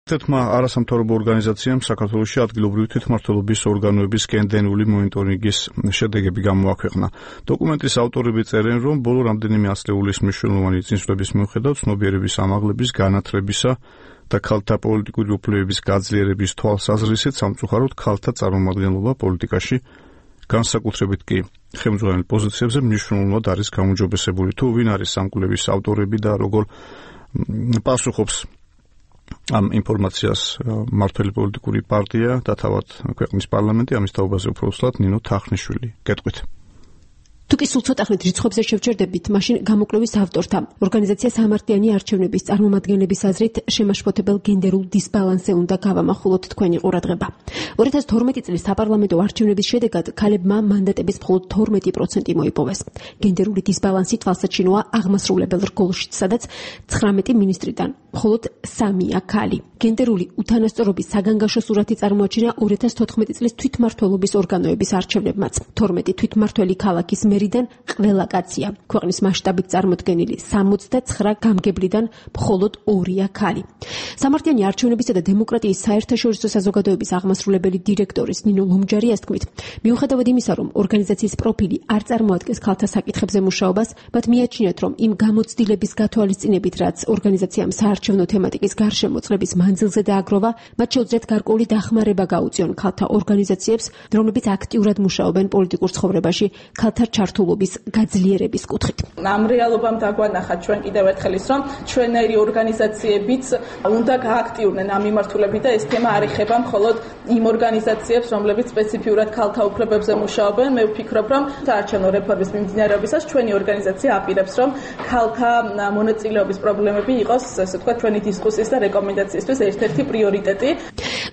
თეთმა არასამთავრობო ორგანიზაციამ საქართველოში ადგილობრივი თვითმმართველობის ორგანოების კენდენული მონიტორინგის შედეგები გამოაქვეყნა. დოკუმენტის ავტორები წერენ, რომ ბოლო რამდენიმე ასლეულის მნიშვნელოვანი წინსვლების მიუხედავად ცნობიერების ამაღლების, განათლებისა და ქალთა პოლიტიკური უფლებების გაძლიერების თვალსაზრისით სამწუხაროდ ქალთა წარმომადგენლობა პოლიტიკაში განსაკუთრებით კი ხელმძღვანელ პოზიციებზე მნიშვნელოვნად არის გამოჯობესებული. თუ ვინ არის ამ კვლევის ავტორები და როგორ პასუხობს ამ ინფორმაციას მმართველი პოლიტიკური პარტია და თავად ქვეყნის პარლამენტი, ამის თაობაზე უფრო უსვლად ნინო თახნიშვილი. გეტყვით. თუ კი სულ ცოტა ხნით რიცხვებზე შევჩერდებით, მაშინ გამოკვლევის ავტორთა ორგანიზაცია სამართლიანი არჩევნების წარმომადგენლების აზრით შემაშფოთებელ გენდერულ დისბალანსზე უნდა გავამახვილოთ თქვენი ყურადღება. 2012 წლის საპარლამენტო არჩევნების შედეგად ქალებმა მანდატების მხოლოდ 12% მოიპოვეს. გენდერული დისბალანსი თვალსაჩინოა აღმასრულებელ რგოლშიც, სადაც 19 მინისტრიდან მხოლოდ 3-ია ქალი. გენდერული უთანასწორობის საგანგაშო სურათი წარმოაჩინა 2014 წლის თვითმმართველობის ორგანოების არჩევნებმაც. 12 თვითმმართველი ქალაქის მერიდან ყველა კაცია. ქვეყნის მასშტაბით წარმოდგენილი 69 გამგებლიდან მხოლოდ 2-ია ქალი. სამართლიანი არჩევნებისა და დემოკრატიის საერთაშორისო საზოგადოების აღმასრულებელი დირექტორის ნინო ლომჯარიას თქმით, მიუხედავად იმისა, რომ ორგანიზაციის პროფილი არ წარმოადგენს ქალთა საკითხებზე მუშაობას, მათ მიაჩნიათ, რომ იმ გამოცდილების გათვალისწინებით, რაც ორგანიზაციამ საარჩევნო თემატიკის გარშემოწლების მანძილზე დააგროვა, მათ შეუძლიათ გარკვეული დახმარება გაუწიონ ქალთა ორგანიზაციებს, რომლებიც აქტიურად მუშაობენ პოლიტიკურ ცხოვრებაში ქალთა ჩართულობის გაძლიერების კუთხით. ამ რეალობამ დაგვანახა ჩვენ კიდევ ერთხელ ის, რომ ჩვენერი ორგანიზაციებიც უნდა გააქტიურნენ ამ მიმართულებით და ეს თემა არ ეხება მხოლოდ იმ ორგანიზაციებს, რომლებიც სპეციფიურად ქალთა უფლებებზე მუშაობენ. მე ვფიქრობ, რომ საარჩევნო რეფორმის მიმდინარეობისას ჩვენი ორგანიზაცია აპირებს, რომ ქალთა მონაწილეობის პრობლემები იყოს, ასე ვთქვათ, ჩვენი დისკუსიის და რეკომენდაციისთვის ერთ-ერთი პრიორიტეტი.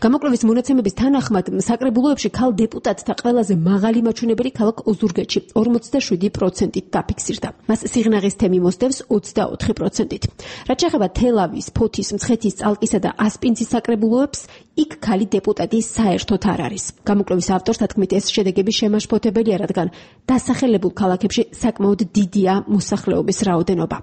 გამოკვლევის მონაცემების თანახმად საკრებულოებში ქალ დეპუტატთა ყველაზე მაღალი მაჩვენებელი ქალაქ ოზურგეთში 47%-ით დაფიქსირდა. მას სიღნაღის თემი მოსდევს 24%-ით. რაც შეეხება თელავის, ფოთის, მცხეთის, წალკისა და ასპინძის საკრებულოებს, იქ ქალი დეპუტატი საერთოდ არ არის. გამოკვლევის ავტორთა თქმით, ეს შედეგები შემაშფოთებელია, რადგან დასახელებულ ქალაქებში საკმაოდ დიდია მოსახლეობის რაოდენობა.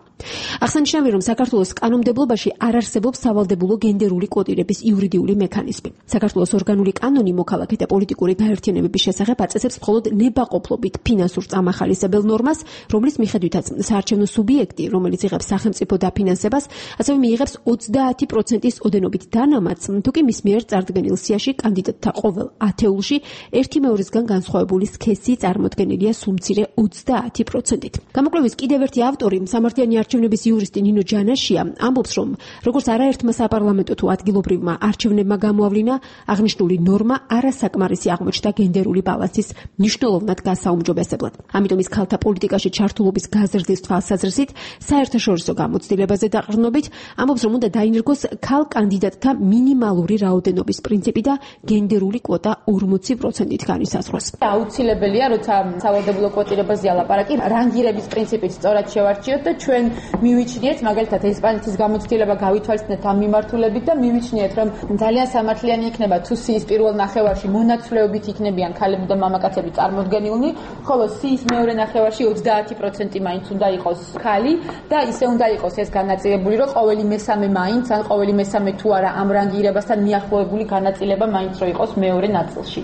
აღსანიშნავია, რომ საქართველოს კანონმდებლობაში არ არსებობს სავალდებულო გენდერული კვოტირების იურიდიული მექანიზმი. საქართველოს ორგანული კანონი მოქალაქე და პოლიტიკური გაერთიანებების შესახებ აწესებს მხოლოდ ნებაყოფლობით ფინანსურ წამახალისებელ ნორმას, რომლის მიხედვითაც საარჩევნო სუბიექტი, რომელიც იღებს სახელმწიფო დაფინანსებას, ასევე მიიღებს 30%-ის ოდენობით დანამატს, თუ კი მის მიერ წარდგენილ სიაში კანდიდატთა ყოველ ათეულში 1/2-ისგან განსხვავებული სქესი წარმოდგენილია სულ მცირე 30%-ით. გამოკვლევის კიდევ ერთი ავტორი, სამართლიანი არჩევნების იურისტი ნინო ჯანაშია, ამბობს, რომ როგორც არაერთმა საპარლამენტო თუ ადგილობრივმა არჩევნებმა გამოავლინა, აღნიშნული ნორმა არასაკმარისი აღმოჩნდა გენდერული ბალანსის მნიშვნელოვნად გასაუმჯობესებლად. ამიტომ ის ქალთა პოლიტიკაში ჩართულობის გაზრდის თვალსაზრისით საერთაშორისო გამოცდილებაზე დაყრდნობით ამბობს, რომ უნდა დაინერგოს ქალ კანდიდატთა მინიმალური რაოდენობის პრინციპი და გენდერული კვოტა 40%-ით განისაზღვროს. აუცილებელია, როცა სავალდებულო კვოტირებაზეა ლაპარაკი, რანგირების პრინციპით სწორად შევარჩიოთ და ჩვენ მივიჩნიეთ, მაგალითად ესპანეთის გამოცდილება გავითვალისწინეთ ამ მიმართულებით და მივიჩნიეთ, რომ ძალიან სამართლიანი იქნება თუ სიის პირველ ნახევარში მონაცვლეობით იქნებიან ქალები და მამაკაცები წარმოდგენილნი, ხოლო სიის მეორე ნახევარში 30% მაინც უნდა იყოს ქალი და ისე უნდა იყოს ეს განაწილებული, რომ ყოველი მესამე მაინც ან ყოველი მესამე თუ არა ამ რანგირებასთან მიახლოებული განაწილება მაინც რო იყოს მეორე ნაწილში.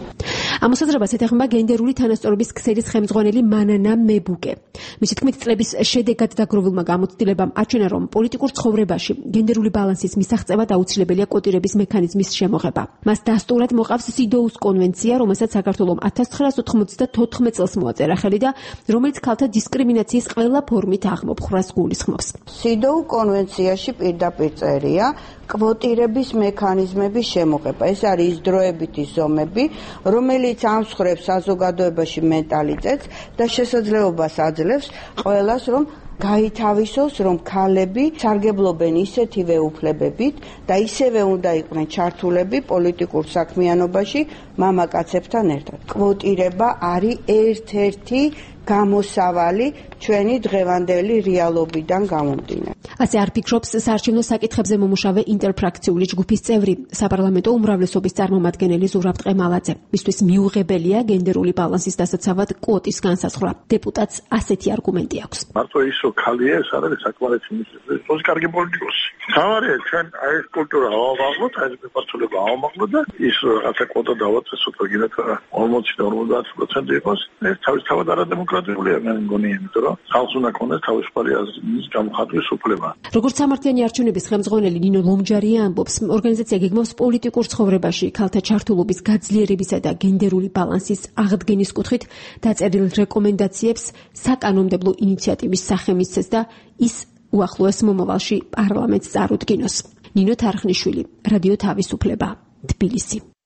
ამ მოსაზრებას ეთანხმება გენდერული თანასწორობის ქსელის ხელმძღვანელი მანანა მებუკე. მისი თქმით, წლების შედეგად დაგროვილმა გამოცდილებამ აჩვენა, რომ პოლიტიკურ ცხოვრებაში გენდერული ბალანსის მისაღწევად აუცილებელია კვოტირების მექანიზმის შემოღება. მას დასტურად მოყავს სიდოუს კონვენცია, რომელსაც საქართველოს 1994 წელს მოაწერა ხელი და რომელიც ქალთა დისკრიმინაციის ყველა ფორმით აღმოფხვრას გულისხმობს. სიდოუ კონვენციაში პირდაპირ წერია კვოტირების მექანიზმების შემოღება. ეს არის დროებითი ზომები, რომელიც ამსხვრევს საზოგადოებაში მენტალიტეტს და შესაძლებლობას აძლევს ყველას, რომ გაითავისოს, რომ ქალები სარგებლობენ ისეთივე უფლებებით და ისევე უნდა იყვნენ ჩართულები პოლიტიკურ საქმიანობაში მამაკაცებთან ერთად. კვოტირება არის ერთ-ერთი გამოსავალი ჩვენი დღევანდელი რეალობიდან გამომდინარე. ასე არ ფიქრობს საარჩევნო საკითხებზე მომუშავე ინტერფრაქციული ჯგუფის წევრი, საპარლამენტო უმრავლესობის წარმომადგენელი ზურაბ ტყემალაძე. მისთვის მიუღებელია გენდერული ბალანსის დასაცავად კვოტის განსაზღვრა. დეპუტატს ასეთი არგუმენტი აქვს. მარტო ისო ხალია ეს არის საკმარისი ის კარგი პოლიტიკოსი. თავარია ჩვენ აი ეს კულტურა ავამაღლოთ, აი ეს მიმართულება ავამაღლოთ და ის რაღაცა კვოტა დავაწესოთ, ვიგინოთ 40-50% იყოს. ეს თავისთავად არადემოკრატიულია, მე მგონი, იმიტომ რომ ხალხს უნდა ქონდეს თავისუფალი აზრის გამოხატვის უფლება. როგორც სამართლიანი არჩევნების ხელმძღვანელი ნინო ლომჯარია ამბობს, ორგანიზაცია გეგმავს პოლიტიკურ ცხოვრებაში ქალთა ჩართულობის გაძლიერებისა და გენდერული ბალანსის აღდგენის კუთხით დაწერილ რეკომენდაციებს საკანონმდებლო ინიციატივის სახე მისცეს და ის უახლოეს მომავალში პარლამენტს წარუდგინოს. ნინო თარხნიშვილი, რადიო თავისუფლება, თბილისი.